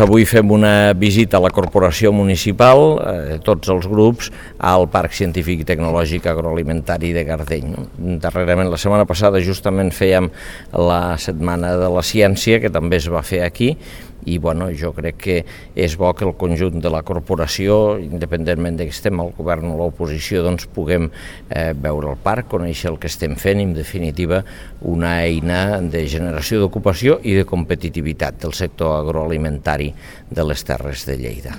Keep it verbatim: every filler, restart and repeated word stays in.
Avui fem una visita a la corporació municipal, eh, tots els grups, al Parc Científic i Tecnològic Agroalimentari de Gardeny. No? Darrerament, la setmana passada, justament fèiem la Setmana de la Ciència, que també es va fer aquí, i bueno, jo crec que és bo que el conjunt de la corporació, independentment de que estem al govern o a l'oposició, doncs puguem eh, veure el parc, conèixer el que estem fent i, en definitiva, una eina de generació d'ocupació i de competitivitat del sector agroalimentari de les Terres de Lleida.